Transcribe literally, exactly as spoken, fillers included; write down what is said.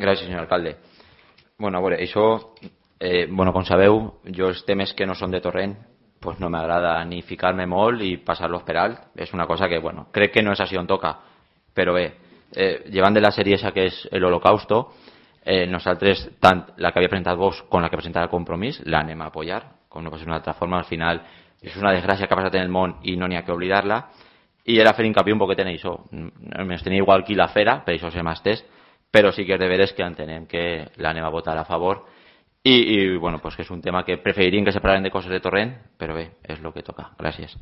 Gràcies, senyor alcalde. Bueno, a veure, això, eh, bueno, com sabeu, jo els temes que no són de Torrent pues no m'agrada ni ficar-me molt i passar-los per alt. És una cosa que, bueno, crec que no és així on toca, però bé, eh, llevant de la sèrie esa que és l'Holocausto, eh, nosaltres, tant la que havia presentat Vox com la que presentava el Compromís, l'anem a apoyar, com no pot ser d'una altra forma. Al final és una desgràcia que ha passat en el món i no n'hi ha que oblidar-la, i era fer hincapié un poquet en això. Ens tenia igual aquí la fera, per això se m'ha estès, però sí que és de veres que entenem que l'anem a votar a favor i, i bueno, pues que és un tema que preferiríem que se parlem de coses de Torrent, però bé, és el que toca. Gràcies.